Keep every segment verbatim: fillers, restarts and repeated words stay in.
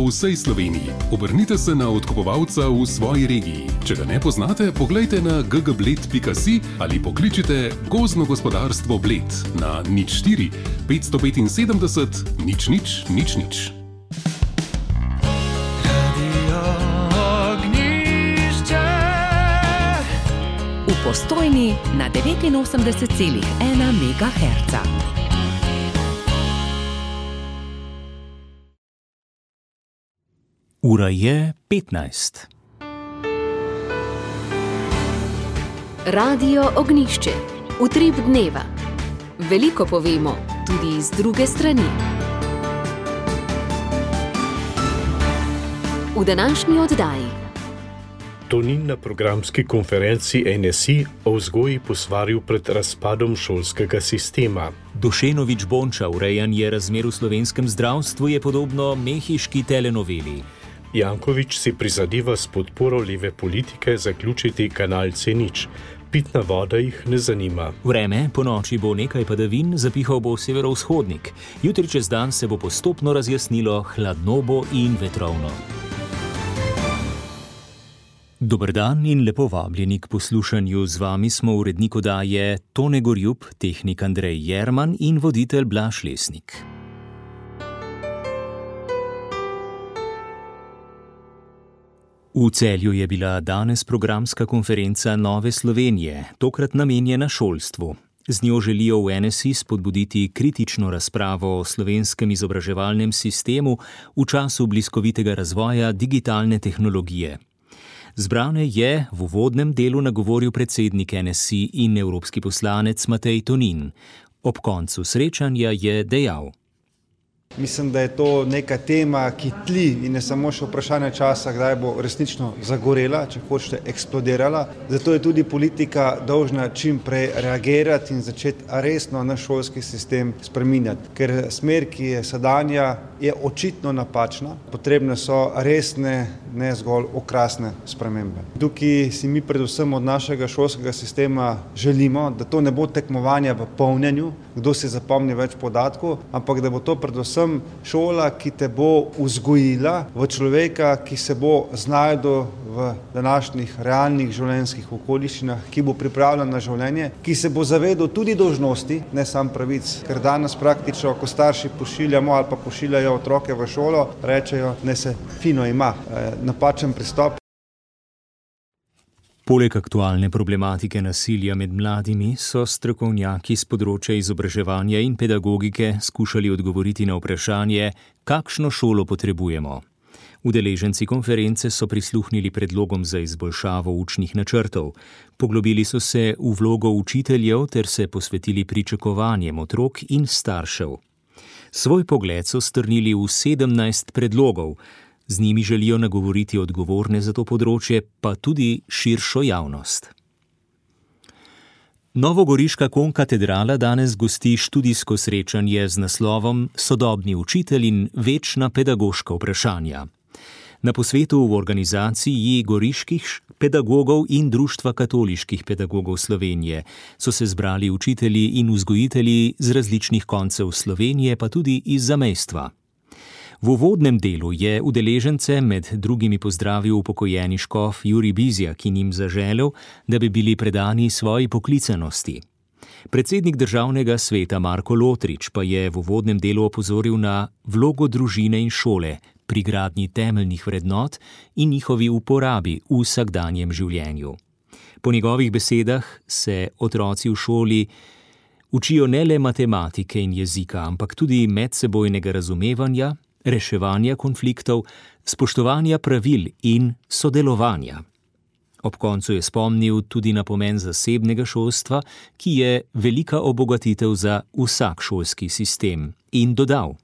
po vsej Sloveniji. Obrnite se na odkupovalca v svoji regiji. Če ga ne poznate, poglejte na g g bled pika si ali pokličite Gozdno gospodarstvo Bled na nič štiri petsto petinsedemdeset nič nič nič nič. V Postojni na devetinosemdeset celih ena megaherca. Ura je petnajst. Radio Ognjišče. Utrip dneva. Veliko povemo, tudi z druge strani. V današnji oddaji. Tonin na programski konferenci N S I o vzgoji posvaril pred razpadom šolskega sistema. Dušenovič Bonča, urejanje razmer v slovenskem zdravstvu je podobno mehiški telenoveli. Janković si prizadeva s podporo leve politike zaključiti kanal C nič. Pitna voda jih ne zanima. Vreme, po noči bo nekaj padavin, zapihal bo severovzhodnik. Jutri čez dan se bo postopno razjasnilo, hladno bo in vetrovno. Dober dan in lepo vabljeni k poslušanju. Z vami smo urednik oddaje Tone Gorjup, tehnik Andrej Jerman in voditelj Blaž Lesnik. V Celju je bila danes programska konferenca Nove Slovenije, tokrat namenjena šolstvu. Z njo želijo v N S I spodbuditi kritično razpravo o slovenskem izobraževalnem sistemu v času bliskovitega razvoja digitalne tehnologije. Zbrane je v uvodnem delu nagovoril predsednik N S I in evropski poslanec Matej Tonin. Ob koncu srečanja je dejal: Mislim, da je to neka tema, ki tli in je samo še vprašanje časa, kdaj bo resnično zagorela, če hočete eksplodirala. Zato je tudi politika dolžna čim prej reagirati in začeti resno naš šolski sistem spreminjati. Ker smer, ki je sedanja, je očitno napačna. Potrebne so resne, ne zgolj okrasne spremembe. Tukaj si mi predvsem od našega šolskega sistema želimo, da to ne bo tekmovanje v polnjenju, kdo si zapomni več podatkov, ampak da bo to predvsem šola, ki te bo vzgojila v človeka, ki se bo znajdel v današnjih realnih življenjskih okoliščinah, ki bo pripravljen na življenje, ki se bo zavedal tudi dolžnosti, ne samo pravic. Ker danes praktično, ko starši pošiljamo ali pa pošiljajo otroke v šolo, rečejo, ne se fino ima. E, napačen pristop. Poleg aktualne problematike nasilja med mladimi so strokovnjaki z področja izobraževanja in pedagogike skušali odgovoriti na vprašanje, kakšno šolo potrebujemo. Udeleženci konference so prisluhnili predlogom za izboljšavo učnih načrtov. Poglobili so se v vlogo učiteljev ter se posvetili pričakovanjem otrok in staršev. Svoj pogled so strnili v sedemnajst predlogov. Z njimi želijo nagovoriti odgovorne za to področje, pa tudi širšo javnost. Novogoriška konkatedrala danes gosti študijsko srečanje z naslovom Sodobni učitelj in večna pedagoška vprašanja. Na posvetu v organizaciji goriških pedagogov in Društva katoliških pedagogov Slovenije so se zbrali učitelji in vzgojitelji z različnih koncev Slovenije, pa tudi iz zamejstva. V uvodnem delu je udeležence med drugimi pozdravil upokojeni škof Jurij Bizjak in jim zaželel, da bi bili predani svoji poklicanosti. Predsednik državnega sveta Marko Lotrič pa je v uvodnem delu opozoril na vlogo družine in šole pri gradnji temeljnih vrednot in njihovi uporabi v vsakdanjem življenju. Po njegovih besedah se otroci v šoli učijo ne le matematike in jezika, ampak tudi medsebojnega razumevanja, reševanja konfliktov, spoštovanja pravil in sodelovanja. Ob koncu je spomnil tudi na pomen zasebnega šolstva, ki je velika obogatitev za vsak šolski sistem, in dodal: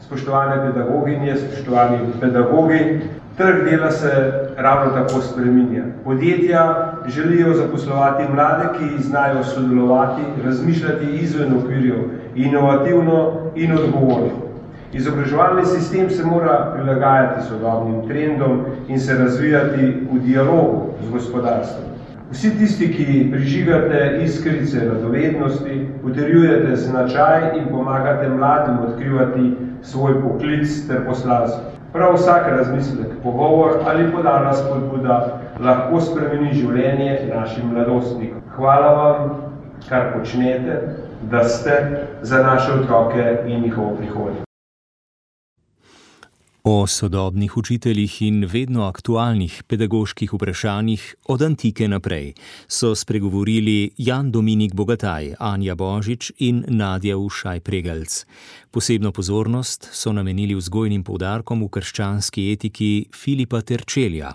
Spoštovane pedagoginje, spoštovani pedagogi, trg dela se ravno tako spreminja. Podjetja želijo zaposlovati mlade, ki znajo sodelovati, razmišljati izven okvirjev, inovativno in odgovorno. Izobraževalni sistem se mora prilagajati sodobnim trendom in se razvijati v dialogu z gospodarstvom. Vsi tisti, ki prižigate iskrice radovednosti, utrjujete značaj in pomagate mladim odkrivati svoj poklic ter poslanstvo. Prav vsak razmislek, pogovor ali podana spodbuda lahko spremeni življenje našim mladostnikom. Hvala vam, kar počnete, da ste za naše otroke in njihovo prihodnost. O sodobnih učiteljih in vedno aktualnih pedagoških vprašanjih od antike naprej so spregovorili Jan Dominik Bogataj, Anja Božič in Nadja Ušaj-Pregelc. Posebno pozornost so namenili vzgojnim poudarkom v krščanski etiki Filipa Terčelja.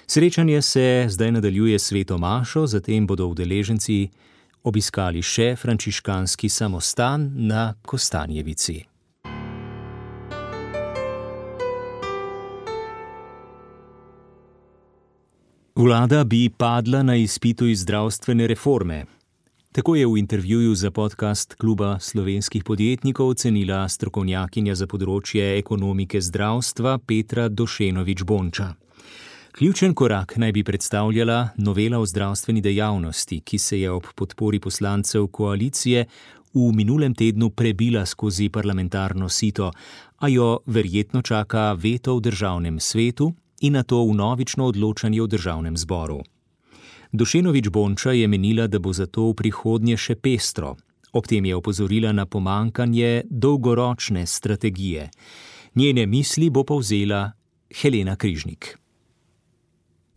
Srečanje se zdaj nadaljuje s sveto mašo, zatem bodo udeleženci obiskali še frančiškanski samostan na Kostanjevici. Vlada bi padla na izpitu iz zdravstvene reforme. Tako je v intervjuju za podcast Kluba slovenskih podjetnikov ocenila strokovnjakinja za področje ekonomike zdravstva Petra Došenović Bonča. Ključen korak naj bi predstavljala novela o zdravstveni dejavnosti, ki se je ob podpori poslancev koalicije v minulem tednu prebila skozi parlamentarno sito, a jo verjetno čaka veto v državnem svetu in na to vnovično odločanje v državnem zboru. Došenović Bonča je menila, da bo zato v prihodnje še pestro. Ob tem je opozorila na pomankanje dolgoročne strategije. Njene misli bo povzela Helena Križnik.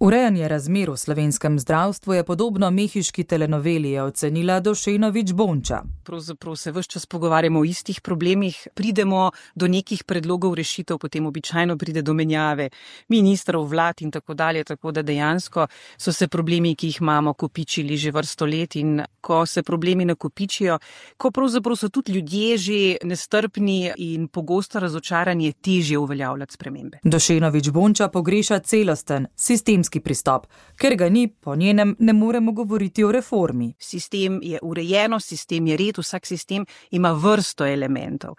Urejanje razmer v slovenskem zdravstvu je podobno mehiški telenoveli, je ocenila Došenović Bonča. Pravzaprav se ves čas pogovarjamo o istih problemih, pridemo do nekih predlogov rešitev, potem običajno pride do menjave ministrov, vlad in tako dalje, tako da dejansko so se problemi, ki jih imamo, kopičili že vrsto let in ko se problemi nakopičijo, ko pravzaprav so tudi ljudje že nestrpni in pogosto razočarani, je težje uveljavljati spremembe. Došenović Bonča pogreša celosten, sistemski pristop, ker ga ni, po njenem ne moremo govoriti o reformi. Sistem je urejeno, sistem je red, vsak sistem ima vrsto elementov.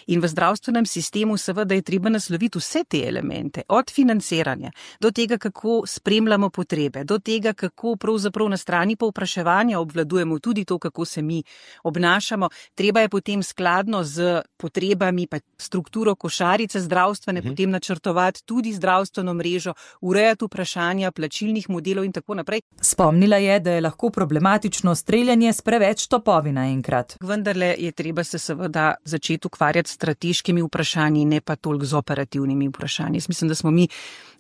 In v zdravstvenem sistemu seveda je treba nasloviti vse te elemente, od financiranja, do tega, kako spremljamo potrebe, do tega, kako pravzaprav na strani povpraševanja obvladujemo tudi to, kako se mi obnašamo. Treba je potem skladno z potrebami, pa strukturo košarice zdravstvene, mhm. potem načrtovati tudi zdravstveno mrežo, urejati vprašanja plačilnih modelov in tako naprej. Spomnila je, da je lahko problematično streljanje s preveč topovi naenkrat. Vendarle je treba se seveda začeti ukvarjati s strateškimi vprašanji, ne pa toliko z operativnimi vprašanji. Jaz mislim, da smo mi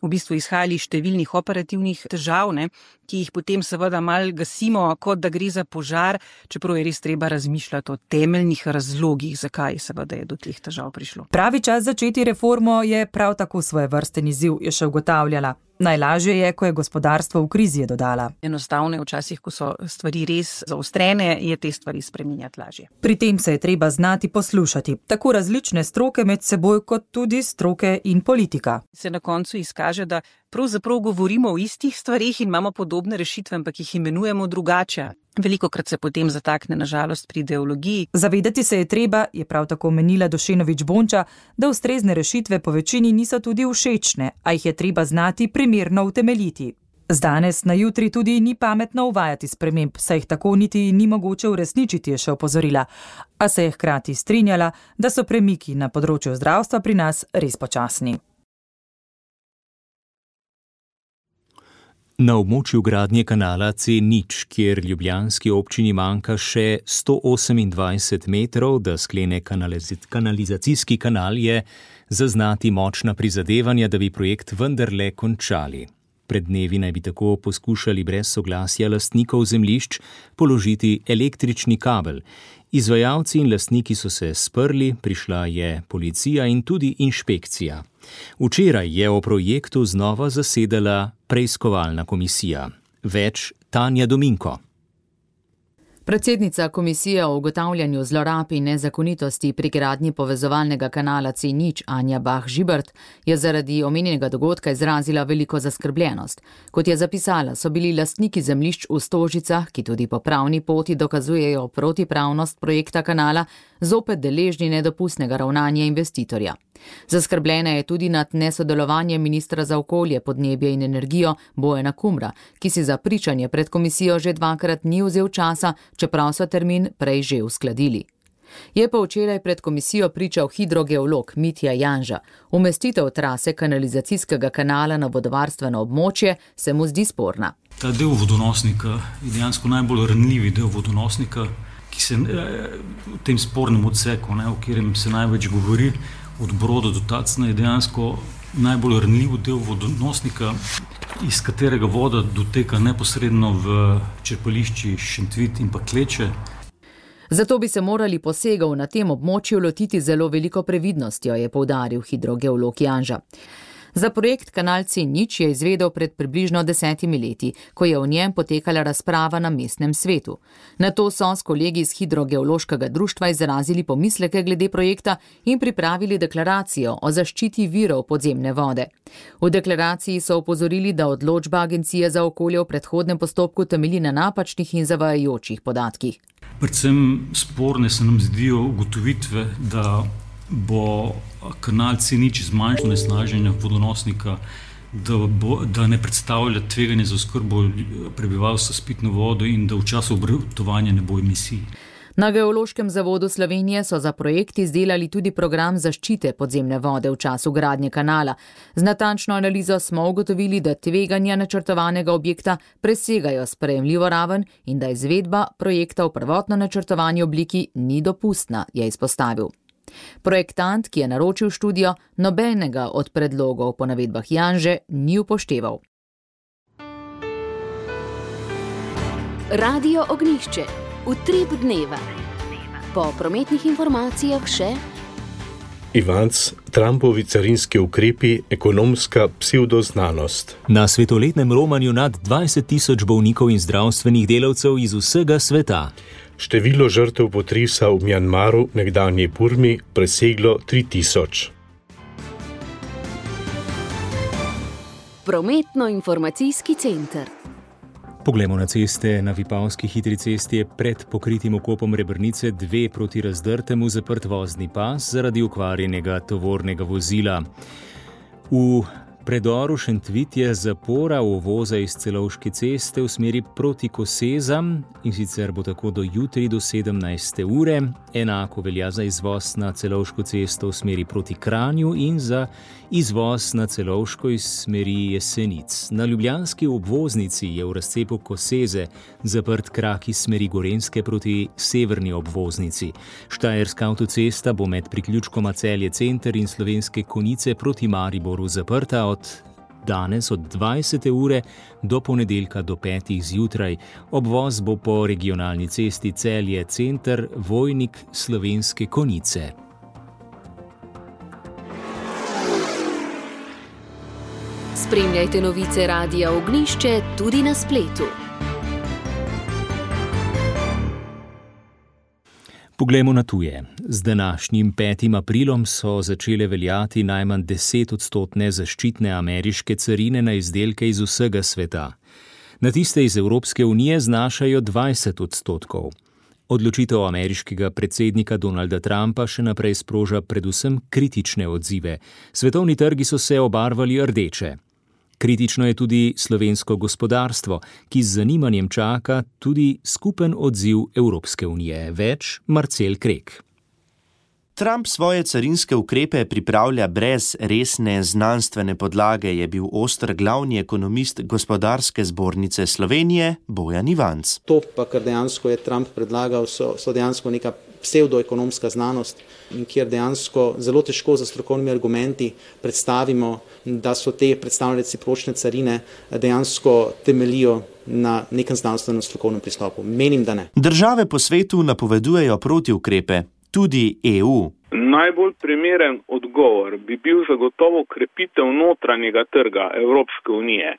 v bistvu izhajali iz številnih operativnih težav, ne, ki jih potem seveda mal gasimo, kot da gre za požar, čeprav je res treba razmišljati o temeljnih razlogih, zakaj seveda je do teh težav prišlo. Pravi čas začeti reformo je prav tako svojevrsten izziv, je še ugotavljala. Najlažje je, ko je gospodarstvo v krizi, je dodala. Enostavno je včasih, ko so stvari res zaostrene, je te stvari spreminjati lažje. Pri tem se je treba znati poslušati, tako različne stroke med seboj, kot tudi stroke in politika. Se na koncu izkaže, da pravzaprav govorimo o istih stvarih in imamo podobne rešitve, ampak jih imenujemo drugače. Velikokrat se potem zatakne na žalost pri ideologiji. Zavedati se je treba, je prav tako menila Došenović Bonča, da ustrezne rešitve po večini niso tudi všečne, a jih je treba znati primerno utemeljiti. Z danes na jutri tudi ni pametno uvajati sprememb, saj jih tako niti ni mogoče uresničiti, je še opozorila. A se je hkrati strinjala, da so premiki na področju zdravstva pri nas res počasni. Na območju gradnje kanala C nič, kjer ljubljanski občini manjka še sto osemindvajset metrov, da sklene kanalizacijski kanal, je zaznati močna prizadevanja, da bi projekt vendarle končali. Pred dnevi naj bi tako poskušali brez soglasja lastnikov zemljišč položiti električni kabel. Izvajalci in lastniki so se sprli, prišla je policija in tudi inšpekcija. Včeraj je o projektu znova zasedala preiskovalna komisija. Več Tanja Dominko. Predsednica komisije o ugotavljanju zlorab in nezakonitosti pri gradnji povezovalnega kanala C nič Anja Bah Žibert je zaradi omenjenega dogodka izrazila veliko zaskrbljenost. Kot je zapisala, so bili lastniki zemljišč v Stožicah, ki tudi po pravni poti dokazujejo protipravnost projekta kanala, zopet deležni nedopustnega ravnanja investitorja. Zaskrbljena je tudi nad nesodelovanjem ministra za okolje, podnebje in energijo Bojana Kumra, ki si za pričanje pred komisijo že dvakrat ni vzel časa, čeprav so termin prej že uskladili. Je pa včeraj pred komisijo pričal hidrogeolog Mitja Janža. Umestitev trase kanalizacijskega kanala na vodovarstveno območje se mu zdi sporna. Ta del vodonosnika je dejansko najbolj ranljivi del vodonosnika, ki se v tem spornem odseku, ne, o katerem se največ govori, od Broda do Tacna, je dejansko najbolj ranljiv del vodonosnika, iz katerega voda doteka neposredno v črpališči Šentvit in pa Kleče. Zato bi se morali posegov na tem območju lotiti zelo veliko previdnostjo, je poudaril hidrogeolog Janža. Za projekt Kanal C nič je izvedel pred približno desetimi leti, ko je v njem potekala razprava na mestnem svetu. Nato so s kolegi iz hidrogeološkega društva izrazili pomisleke glede projekta in pripravili deklaracijo o zaščiti virov podzemne vode. V deklaraciji so opozorili, da odločba Agencije za okolje v predhodnem postopku temelji na napačnih in zavajajočih podatkih. Predvsem sporne se nam zdijo ugotovitve, da bo kanal C nič zmanjšal onesnaženje vodonosnika, da, bo, da ne predstavlja tveganje za oskrbo prebivalstva s pitno vodo in da v času obratovanja ne bo emisij. Na Geološkem zavodu Slovenije so za projekt izdelali tudi program zaščite podzemne vode v času gradnje kanala. Z natančno analizo smo ugotovili, da tveganja načrtovanega objekta presegajo sprejemljivo raven in da izvedba projekta v prvotno načrtovani obliki ni dopustna, je izpostavil. Projektant, ki je naročil študijo, nobenega od predlogov po navedbah Janže ni upošteval. Radio Ognjišče. Utrip dneva. Po prometnih informacijah še Ivanc, Trumpovi carinski ukrepi, ekonomska psevdoznanost. Na svetoletnem romanju nad dvajset tisoč bolnikov in zdravstvenih delavcev iz vsega sveta. Število žrtev potresa v Mjanmaru, nekdanji Burmi, preseglo tri tisoč. Prometno-informacijski center. Poglejmo na ceste. Na Vipavski hitri cesti je pred pokritim okopom Rebrnice dve proti Razdrtemu zaprt vozni pas zaradi okvarjenega tovornega vozila. V predoru Šentvit je zapora uvoza iz Celovške ceste v smeri proti Kosezam in sicer bo tako do jutri do sedemnajste ure. Enako velja za izvoz na Celovško cesto v smeri proti Kranju in za izvoz na Celovško iz smeri Jesenic. Na ljubljanski obvoznici je v razcepu Koseze zaprt krak iz smeri Gorenjske proti severni obvoznici. Štajerska avtocesta bo med priključkoma Celje center in Slovenske Konjice proti Mariboru zaprta od danes od dvajsete ure do ponedeljka do petih zjutraj. Obvoz bo po regionalni cesti Celje center, Vojnik, Slovenske Konjice. Spremljajte novice Radia Ognjišče tudi na spletu. Poglejmo na tuje. Z današnjim petim aprilom so začele veljati najmanj deset odstotne zaščitne ameriške carine na izdelke iz vsega sveta. Na tiste iz Evropske unije znašajo dvajset odstotkov. Odločitev ameriškega predsednika Donalda Trumpa še naprej sproža predvsem kritične odzive. Svetovni trgi so se obarvali rdeče. Kritično je tudi slovensko gospodarstvo, ki z zanimanjem čaka tudi skupen odziv Evropske unije. Več Marcel Krek. Trump svoje carinske ukrepe pripravlja brez resne znanstvene podlage, je bil oster glavni ekonomist Gospodarske zbornice Slovenije Bojan Ivanc. To pa, kar dejansko je Trump predlagal, so, so dejansko neka psevdoekonomska znanost, in kjer dejansko zelo težko za strokovnimi argumenti predstavimo, da so te predstavljene recipročne carine dejansko temelijo na nekem znanstvenem strokovnem pristopu. Menim, da ne. Države po svetu napovedujejo protiukrepe. Tudi E U. Najbolj primeren odgovor bi bil zagotovo krepitev notranjega trga Evropske unije.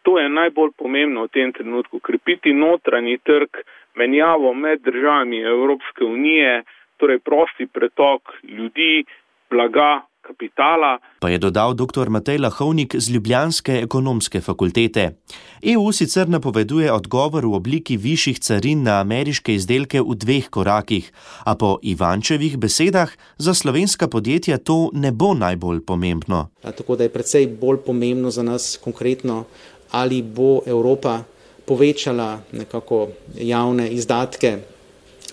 To je najbolj pomembno v tem trenutku. Krepiti notranji trg, menjavo med državami Evropske unije, torej prosti pretok ljudi, blaga, kapitala. Pa je dodal doktor Matej Lahovnik z Ljubljanske ekonomske fakultete. E U sicer napoveduje odgovor v obliki višjih carin na ameriške izdelke v dveh korakih, a po Ivančevih besedah za slovenska podjetja to ne bo najbolj pomembno. Tako da je precej bolj pomembno za nas konkretno, ali bo Evropa povečala nekako javne izdatke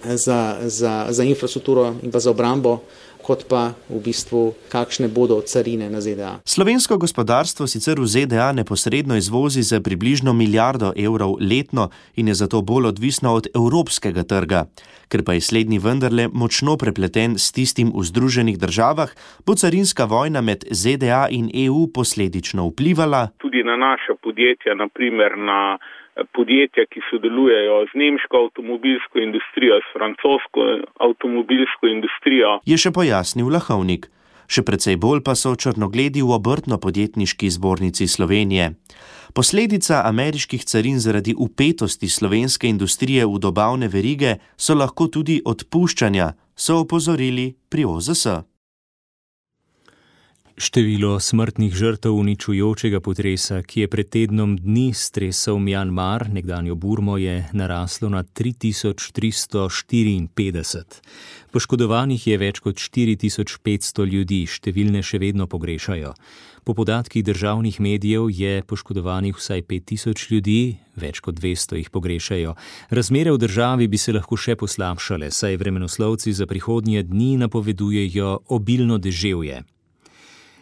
za, za, za infrastrukturo in pa za obrambo, kot pa v bistvu kakšne bodo carine na Z D A. Slovensko gospodarstvo sicer v Z D A neposredno izvozi za približno milijardo evrov letno in je zato bolj odvisno od evropskega trga. Ker pa je slednji vendarle močno prepleten s tistim v Združenih državah, bo carinska vojna med Z D A in E U posledično vplivala tudi na naša podjetja, na primer na podjetja, ki sodelujejo z nemško avtomobilsko industrijo, s francosko avtomobilsko industrijo. Je še pojasnil Lahovnik. Še precej bolj pa so črnogledi v Obrtno-podjetniški zbornici Slovenije. Posledica ameriških carin zaradi vpetosti slovenske industrije v dobavne verige so lahko tudi odpuščanja, so opozorili pri O Z S. Število smrtnih žrtev uničujočega potresa, ki je pred tednom dni stresal Mjanmar, nekdanjo Burmo, je naraslo na tri tisoč tristo štiriinpetdeset. Poškodovanih je več kot štiri tisoč petsto ljudi, številne še vedno pogrešajo. Po podatkih državnih medijev je poškodovanih vsaj pet tisoč ljudi, več kot dvesto jih pogrešajo. Razmere v državi bi se lahko še poslabšale, saj vremenoslovci za prihodnje dni napovedujejo obilno deževje.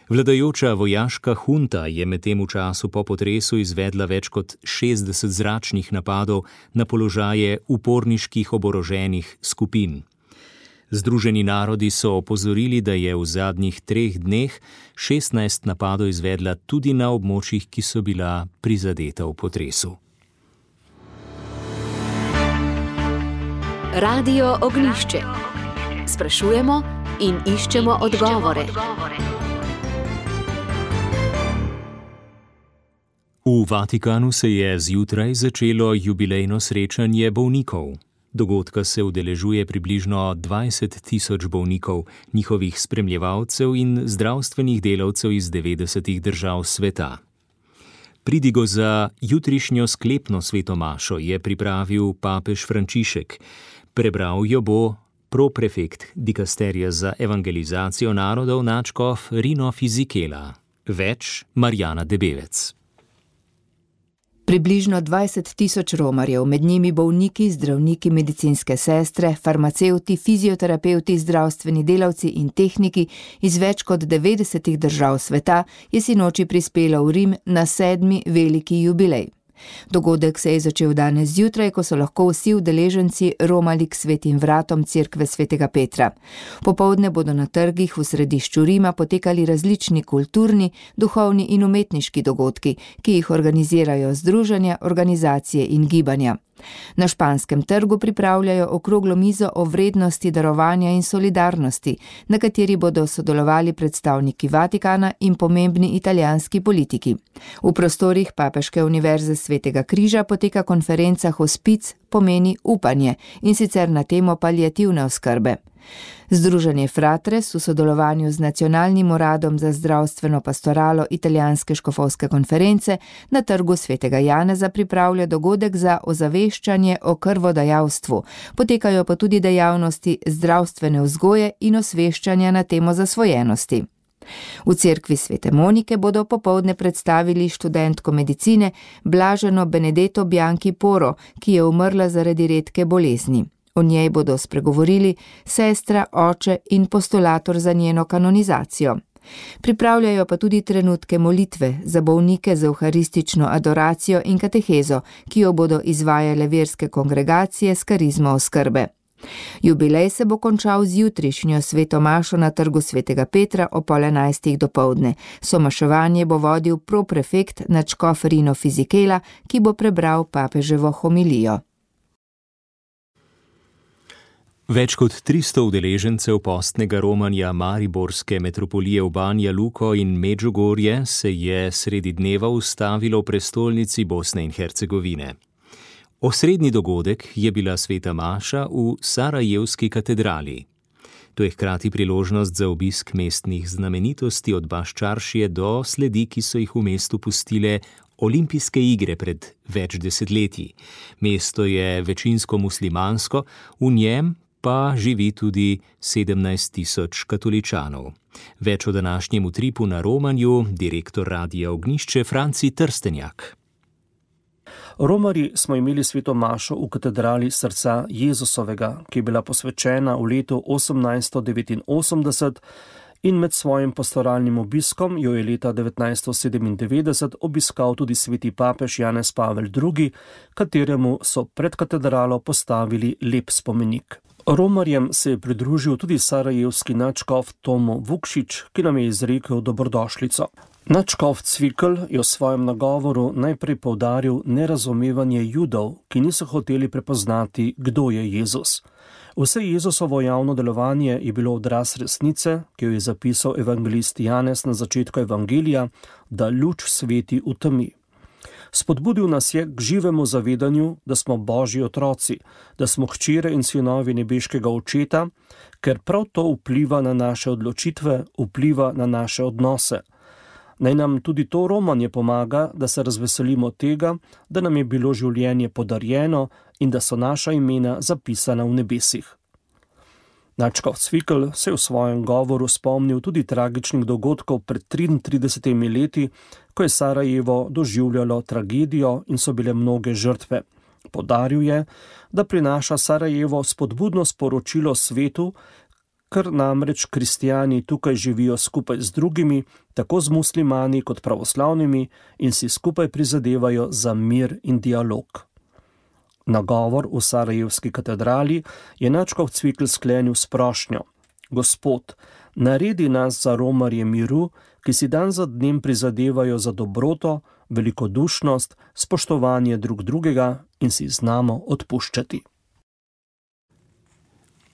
Vladajoča vojaška hunta je medtem v času po potresu izvedla več kot šestdeset zračnih napadov na položaje uporniških oboroženih skupin. Združeni narodi so opozorili, da je v zadnjih treh dneh šestnajst napadov izvedla tudi na območjih, ki so bila prizadeta v potresu. Radio Ognjišče. Sprašujemo in iščemo odgovore. V Vatikanu se je zjutraj začelo jubilejno srečanje bolnikov. Dogodka se udeležuje približno dvajset tisoč bolnikov, njihovih spremljevalcev in zdravstvenih delavcev iz devetdesetih držav sveta. Pridigo za jutrišnjo sklepno svetomašo je pripravil papež Frančišek. Prebral jo bo proprefekt dikasterija za evangelizacijo narodov nadškof Rino Fizikela. Več Marjana Debevec. Približno dvajset tisoč romarjev, med njimi bolniki, zdravniki, medicinske sestre, farmacevti, fizioterapevti, zdravstveni delavci in tehniki iz več kot devetdesetih držav sveta, je sinoči prispelo v Rim na sedmi veliki jubilej. Dogodek se je začel danes zjutraj, ko so lahko vsi udeleženci romali k svetim vratom cerkve svetega Petra. Popoldne bodo na trgih v središču Rima potekali različni kulturni, duhovni in umetniški dogodki, ki jih organizirajo združenja, organizacije in gibanja. Na Španskem trgu pripravljajo okroglo mizo o vrednosti darovanja in solidarnosti, na kateri bodo sodelovali predstavniki Vatikana in pomembni italijanski politiki. V prostorih Papeške univerze Svetega križa poteka konferenca Hospic pomeni upanje, in sicer na temo paliativne oskrbe. Združenje Fratres v sodelovanju z Nacionalnim uradom za zdravstveno pastoralo italijanske škofovske konference na trgu Svetega Janeza pripravlja dogodek za ozaveščanje o krvodajalstvu. Potekajo pa tudi dejavnosti zdravstvene vzgoje in osveščanja na temo zasvojenosti. V cerkvi Svete Monike bodo popoldne predstavili študentko medicine Blaženo Benedetto Bianchi Poro, ki je umrla zaradi redke bolezni. O njej bodo spregovorili sestra, oče in postulator za njeno kanonizacijo. Pripravljajo pa tudi trenutke molitve za bolnike z evharistično adoracijo in katehezo, ki jo bodo izvajale verske kongregacije s karizmo oskrbe. Jubilej se bo končal z jutrišnjo svetomašo na trgu Svetega Petra o pol enajstih dopoldne. Somaševanje bo vodil proprefekt nadškof Rino Fizikela, ki bo prebral papeževo homilijo. Več kot tristo udeležencev postnega romanja mariborske metropolije v Banja Luko in Medžugorje se je sredi dneva ustavilo v prestolnici Bosne in Hercegovine. Osrednji dogodek je bila sveta maša v Sarajevski katedrali. To je hkrati priložnost za obisk mestnih znamenitosti od Baščaršije do sledi, ki so jih v mestu pustile olimpijske igre pred več desetletji. Mesto je večinsko muslimansko, v njem pa živi tudi sedemnajst tisoč katoličanov. Več o današnjem utripu na romanju direktor Radia Ognjišče Franci Trstenjak. Romarji smo imeli sveto mašo v katedrali srca Jezusovega, ki je bila posvečena v letu osemnajststo devetinosemdeset in med svojim pastoralnim obiskom jo je leta devetnajststo sedemindevetdeset obiskal tudi sveti papež Janez Pavel drugi, kateremu so pred katedralo postavili lep spomenik. Romarjem se je pridružil tudi sarajevski nadškof Tomo Vukšič, ki nam je izrekel dobrodošlico. Nadškof Cvikl je v svojem nagovoru najprej poudaril nerazumevanje Judov, ki niso hoteli prepoznati, kdo je Jezus. Vse Jezusovo javno delovanje je bilo odraz resnice, ki jo je zapisal evangelist Janez na začetku evangelija, da luč sveti v temi. Spodbudil nas je k živemu zavedanju, da smo Božji otroci, da smo hčere in sinovi nebeškega Očeta, ker prav to vpliva na naše odločitve, vpliva na naše odnose. Naj nam tudi to romanje pomaga, da se razveselimo tega, da nam je bilo življenje podarjeno in da so naša imena zapisana v nebesih. Nadškof Cvikl se je v svojem govoru spomnil tudi tragičnih dogodkov pred triintridesetimi leti, ko je Sarajevo doživljalo tragedijo in so bile mnoge žrtve. Poudaril je, da prinaša Sarajevo spodbudno sporočilo svetu, ker namreč kristijani tukaj živijo skupaj z drugimi, tako z muslimani kot pravoslavnimi, in si skupaj prizadevajo za mir in dialog. Nagovor v sarajevski katedrali je nadškof Cvikl sklenil s prošnjo: Gospod, naredi nas za romarje miru, ki si dan za dnem prizadevajo za dobroto, velikodušnost, spoštovanje drug drugega in si znamo odpuščati.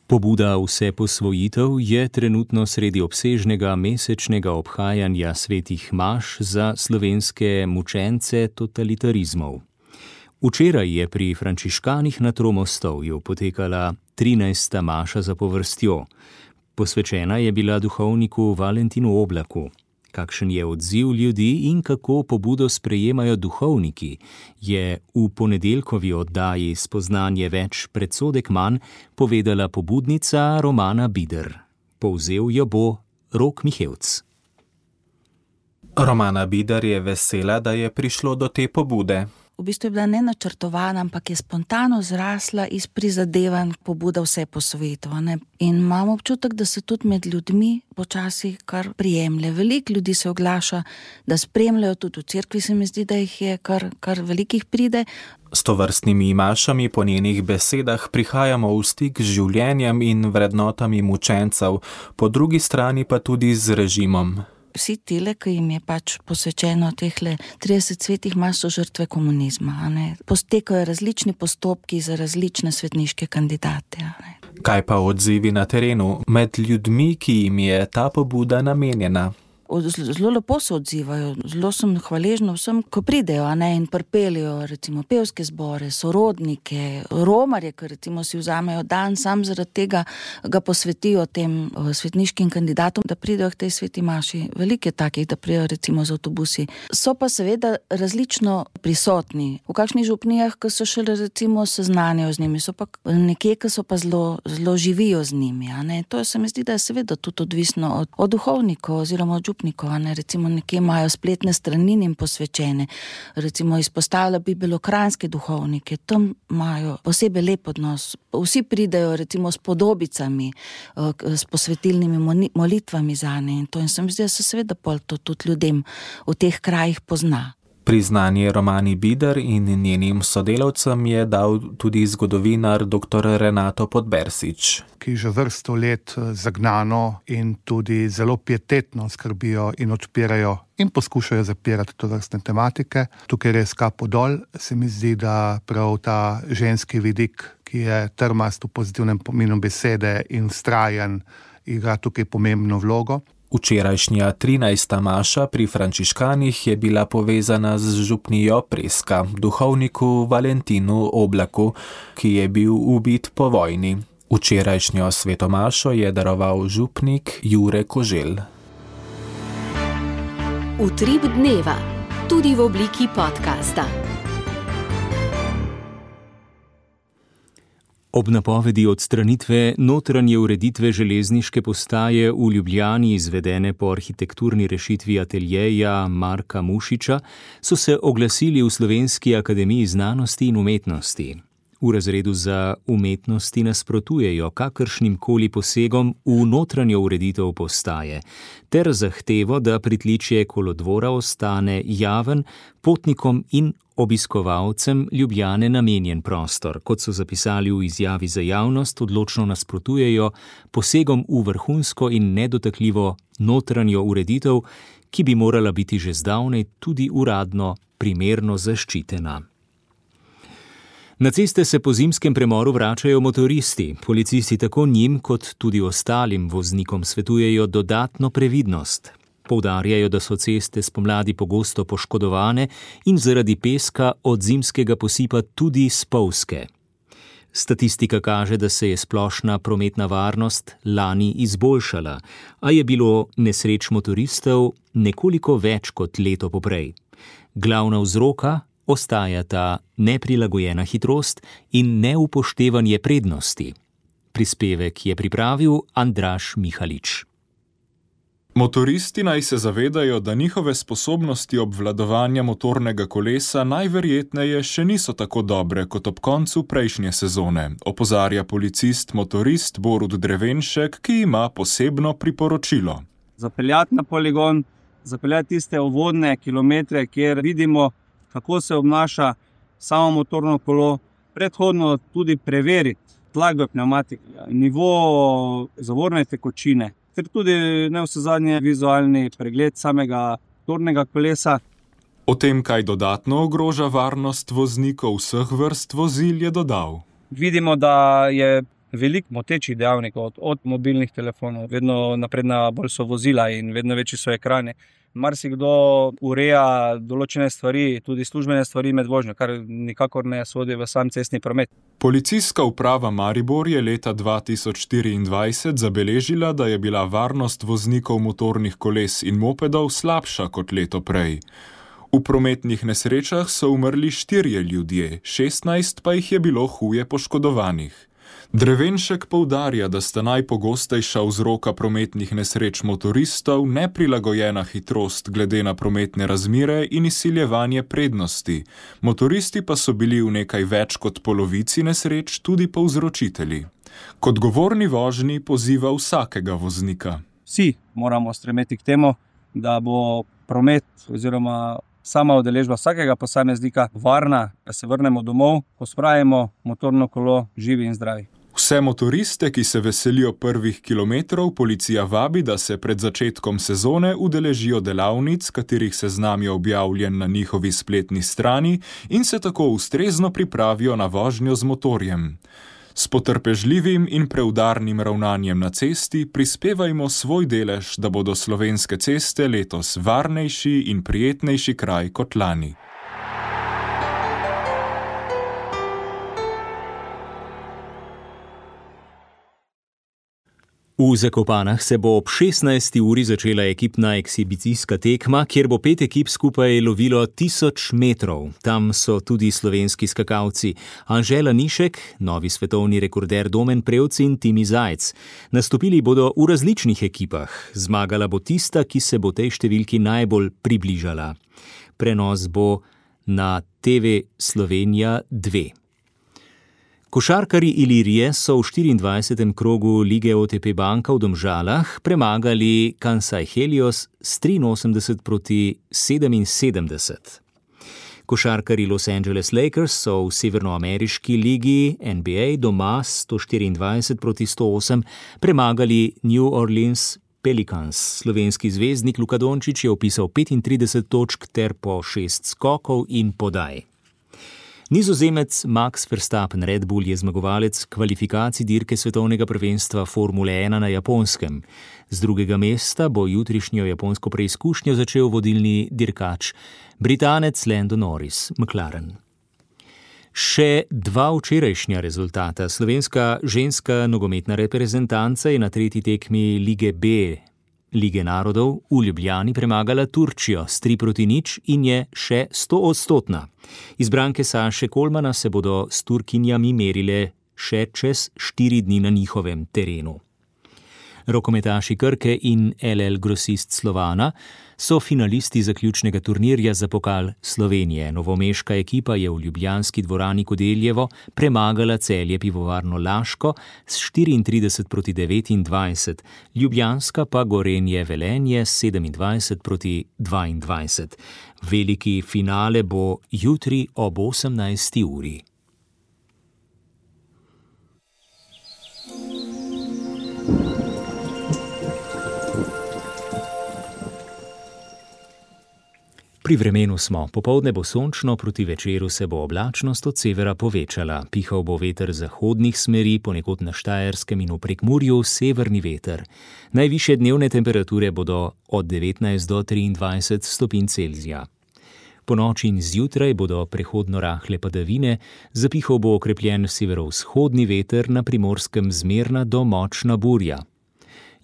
Pobuda Vse posvojitev je trenutno sredi obsežnega mesečnega obhajanja svetih maš za slovenske mučence totalitarizmov. Včeraj je pri frančiškanih na Tromostovju potekala trinajsta maša zapovrstjo. Posvečena je bila duhovniku Valentinu Oblaku. Kakšen je odziv ljudi in kako pobudo sprejemajo duhovniki, je v ponedeljkovi oddaji Spoznanje več, predsodek manj povedala pobudnica Romana Bider. Povzel jo bo Rok Mihevc. Romana Bider je vesela, da je prišlo do te pobude. V bistvu je bila nenačrtovana, ampak je spontano zrasla iz prizadevanj pobuda Vse posvojitev. In imam občutek, da se tudi med ljudmi počasi kar prijemlje. Veliko ljudi se oglaša, da spremljajo, tudi v cerkvi se mi zdi, da jih je kar, kar velikih pride. S tovrstnimi mašami po njenih besedah prihajamo v stik z življenjem in vrednotami mučencev, po drugi strani pa tudi z režimom. Vsi tile, ki jim je pač posvečeno tehle trideset svetih maš, so žrtve komunizma. Postekajo različni postopki za različne svetniške kandidate. Kaj pa odzivi na terenu med ljudmi, ki jim je ta pobuda namenjena? Zelo lepo se odzivajo, zelo sem hvaležna vsem, ko pridejo ne, in pripeljejo recimo pevske zbore, sorodnike, romarje, ki recimo si vzamejo dan, sam zaradi tega ga posvetijo tem svetniškim kandidatom, da pridejo k tej sveti maši. Veliko je takih, da pridejo recimo z avtobusi. So pa seveda različno prisotni. V kakšnih župnijah, ki so šele recimo seznanjajo z njimi, so pa nekje, ki so pa zelo, zelo živijo z njimi. Ne. To se mi zdi, da je seveda tudi odvisno od, od duhovnikov oziroma od Ne, recimo nekje imajo spletne strani in posvečene, recimo izpostavlja bi belokranjske duhovnike, tam imajo posebej lep odnos, vsi pridejo recimo s podobicami, s posvetilnimi molitvami zanje in to in sem zdaj se seveda pol to tudi ljudem v teh krajih pozna. Priznanje Romani Bider in njenim sodelavcem je dal tudi zgodovinar doktor Renato Podbersič, ki že vrsto let zagnano in tudi zelo pietetno skrbijo in odpirajo in poskušajo zapirati tovrstne tematike. Tukaj res kapo dol, se mi zdi, da prav ta ženski vidik, ki je trmast v pozitivnem pomenu besede in vztrajen, igra tukaj pomembno vlogo. Včerajšnja trinajsta maša pri frančiškanih je bila povezana z župnijo Preska, duhovniku Valentinu Oblaku, ki je bil ubit po vojni. Včerajšnjo svetomašo je daroval župnik Jure Koželj. Utrip dneva, tudi v obliki podcasta. Ob napovedi odstranitve notranje ureditve železniške postaje v Ljubljani, izvedene po arhitekturni rešitvi ateljeja Marka Mušiča, so se oglasili v Slovenski akademiji znanosti in umetnosti. V razredu za umetnosti nasprotujejo kakršnim koli posegom v notranjo ureditev postaje ter zahtevo, da pritličje kolodvora ostane javen, potnikom in obiskovalcem Ljubljane namenjen prostor. Kot so zapisali v izjavi za javnost, odločno nasprotujejo posegom v vrhunsko in nedotakljivo notranjo ureditev, ki bi morala biti že zdavnaj tudi uradno primerno zaščitena. Na ceste se po zimskem premoru vračajo motoristi. Policisti tako njim kot tudi ostalim voznikom svetujejo dodatno previdnost. Poudarjajo, da so ceste spomladi pogosto poškodovane in zaradi peska od zimskega posipa tudi spolzke. Statistika kaže, da se je splošna prometna varnost lani izboljšala, a je bilo nesreč motoristov nekoliko več kot leto poprej. Glavna vzroka ostajata neprilagojena hitrost in neupoštevanje prednosti. Prispevek je pripravil Andraž Mihalič. Motoristi naj se zavedajo, da njihove sposobnosti obvladovanja motornega kolesa najverjetneje še niso tako dobre kot ob koncu prejšnje sezone, opozarja policist motorist Borut Drevenšek, ki ima posebno priporočilo. Zapeljati na poligon, zapeljati tiste uvodne kilometre, kjer vidimo, kako se obnaša samo motorno kolo, predhodno tudi preveriti tlak v pnevmatiki, nivo zavorne tekočine, ter tudi navsezadnje vizualni pregled samega motornega kolesa. O tem, kaj dodatno ogroža varnost voznikov vseh vrst vozil, je dodal. Vidimo, da je veliko motečih dejavnikov, od, od mobilnih telefonov, vedno napredna bolj so vozila in vedno večji so ekrani. Marsikdo ureja določene stvari, tudi službene stvari med vožnjo, kar nikakor ne sodi v sam cestni promet. Policijska uprava Maribor je leta dva tisoč štiriindvajset zabeležila, da je bila varnost voznikov motornih koles in mopedov slabša kot leto prej. V prometnih nesrečah so umrli štirje ljudje, šestnajst pa jih je bilo huje poškodovanih. Drevenšek poudarja, da sta najpogostejša vzroka prometnih nesreč motoristov neprilagojena hitrost glede na prometne razmere in izsiljevanje prednosti. Motoristi pa so bili v nekaj več kot polovici nesreč tudi povzročitelji. Kot govorni vožnji poziva vsakega voznika. Vsi moramo stremeti k temu, da bo promet oziroma sama udeležba vsakega posameznika varna, da se vrnemo domov, pospravimo motorno kolo živi in zdravi. Vse motoriste, ki se veselijo prvih kilometrov, policija vabi, da se pred začetkom sezone udeležijo delavnic, katerih seznam je objavljen na njihovi spletni strani in se tako ustrezno pripravijo na vožnjo z motorjem. S potrpežljivim in preudarnim ravnanjem na cesti prispevajmo svoj delež, da bodo slovenske ceste letos varnejši in prijetnejši kraj kot lani. V Zakopanah se bo ob šestnajsti uri začela ekipna ekshibicijska tekma, kjer bo pet ekip skupaj lovilo tisoč metrov. Tam so tudi slovenski skakalci Anžela Nišek, novi svetovni rekorder Domen Prevc in Timi Zajc. Nastopili bodo v različnih ekipah. Zmagala bo tista, ki se bo tej številki najbolj približala. Prenos bo na T V Slovenija dve. Košarkarji Ilirije so v štiriindvajsetem krogu lige O T P Banka v Domžalah premagali Kansai Helios s triinosemdeset proti sedeminsedemdeset. Košarkarji Los Angeles Lakers so v severnoameriški ligi N B A doma sto štiriindvajset proti sto osem premagali New Orleans Pelicans. Slovenski zvezdnik Luka Dončić je vpisal petintrideset točk ter po šest skokov in podaj. Nizozemec Max Verstappen Red Bull je zmagovalec kvalifikacij dirke svetovnega prvenstva Formule ena na Japonskem. Z drugega mesta bo jutrišnjo japonsko preizkušnjo začel vodilni dirkač, Britanec Lando Norris, McLaren. Še dva včerajšnja rezultata. Slovenska ženska nogometna reprezentanca je na tretji tekmi Lige B Lige narodov v Ljubljani premagala Turčijo s tri proti nič in je še stoodstotna. Izbranke Saše Kolmana se bodo s Turkinjami merile še čez štiri dni na njihovem terenu. Rokometaši Krke in L L Grosist Slovana so finalisti zaključnega turnirja za pokal Slovenije. Novomeška ekipa je v ljubljanski dvorani Kodeljevo premagala Celje Pivovarno Laško s štiriintrideset proti devetindvajset, ljubljanska pa Gorenje Velenje s sedemindvajset proti dvaindvajset. Veliki finale bo jutri ob osemnajsti uri. Pri vremenu smo. Popoldne bo sončno, proti večeru se bo oblačnost od severa povečala. Pihal bo veter zahodnih smeri, ponekod na Štajerskem in v Prekmurju severni veter. Najvišje dnevne temperature bodo od devetnajst do triindvajset stopinj Celzija. Po noči in zjutraj bodo prehodno rahle padavine, zapihal bo okrepljen severovzhodni veter, na Primorskem zmerna do močna burja.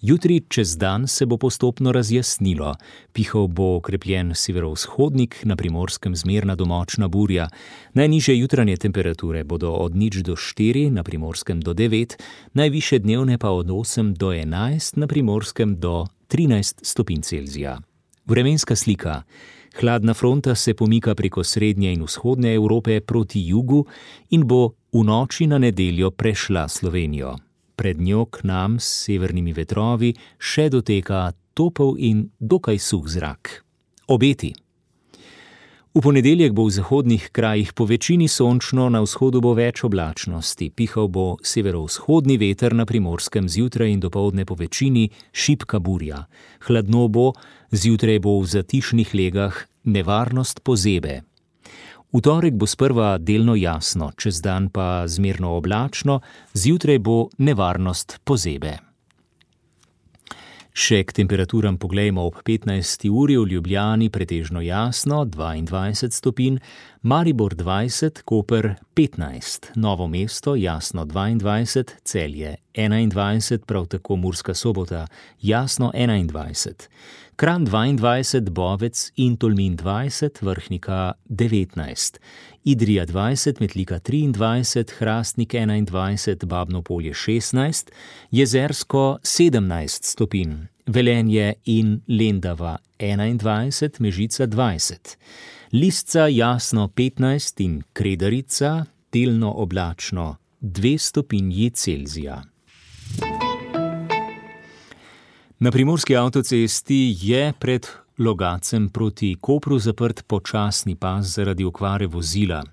Jutri čez dan se bo postopno razjasnilo. Pihal bo okrepljen severovzhodnik, na Primorskem zmerna do močna burja. Najnižje jutranje temperature bodo od nič do štiri, na Primorskem do devet, najvišje dnevne pa od osem do enajst, na Primorskem do trinajst stopinj Celzija. Vremenska slika. Hladna fronta se pomika preko srednje in vzhodne Evrope proti jugu in bo v noči na nedeljo prešla Slovenijo. Pred njo k nam s severnimi vetrovi še doteka topel in dokaj suh zrak. Obeti. V ponedeljek bo v zahodnih krajih po večini sončno, na vzhodu bo več oblačnosti. Pihal bo severovzhodni veter, na Primorskem zjutraj in dopoldne po večini šibka burja. Hladno bo, zjutraj bo v zatišnih legah nevarnost pozebe. V torek bo sprva delno jasno, čez dan pa zmerno oblačno, zjutraj bo nevarnost pozebe. Še k temperaturam poglejmo ob petnajsti uri. V Ljubljani pretežno jasno, dvaindvajset stopinj, Maribor dvajset, Koper petnajst, Novo mesto jasno dvaindvajset, Celje enaindvajset, prav tako Murska Sobota jasno enaindvajset, Kranj dvaindvajset, Bovec in Tolmin dvajset, Vrhnika devetnajst, Idrija dvajset, Metlika triindvajset, Hrastnik enaindvajset, Babno Polje šestnajst, Jezersko sedemnajst stopinj, Velenje in Lendava enaindvajset, Mežica dvajset, Lisca jasno petnajst in Kredarica delno oblačno dve stopinji Celzija. Na primorski avtocesti je pred Logacem proti Kopru zaprt počasni pas zaradi okvare vozila.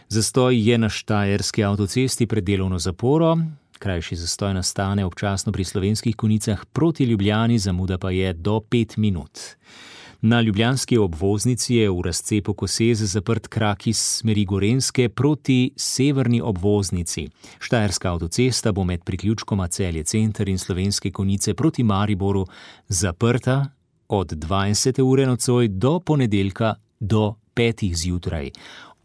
Zastoj je na Štajerski avtocesti pred delovno zaporo, krajši zastoj nastane občasno pri Slovenskih Konjicah proti Ljubljani, zamuda pa je do pet minut. Na ljubljanski obvoznici je v razcepu Koseze zaprt krak iz smeri Gorenjske proti severni obvoznici. Štajerska avtocesta bo med priključkoma Celje center in Slovenske Konjice proti Mariboru zaprta od dvajsete ure nocoj do ponedeljka do petih zjutraj.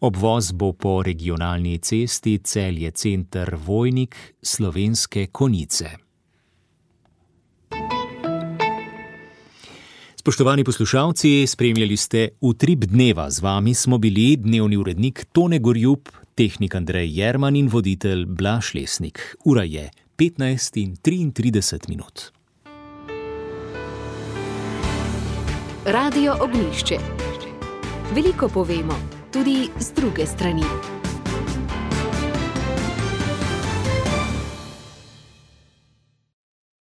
Obvoz bo po regionalni cesti Celje center Vojnik Slovenske Konjice. Spoštovani poslušalci, spremljali ste Utrip dneva. Z vami smo bili dnevni urednik Tone Gorjup, tehnik Andrej Jerman in voditelj Blaž Lesnik. Ura je petnajst in triintrideset minut. Radio Ognjišče. Veliko povemo, tudi z druge strani.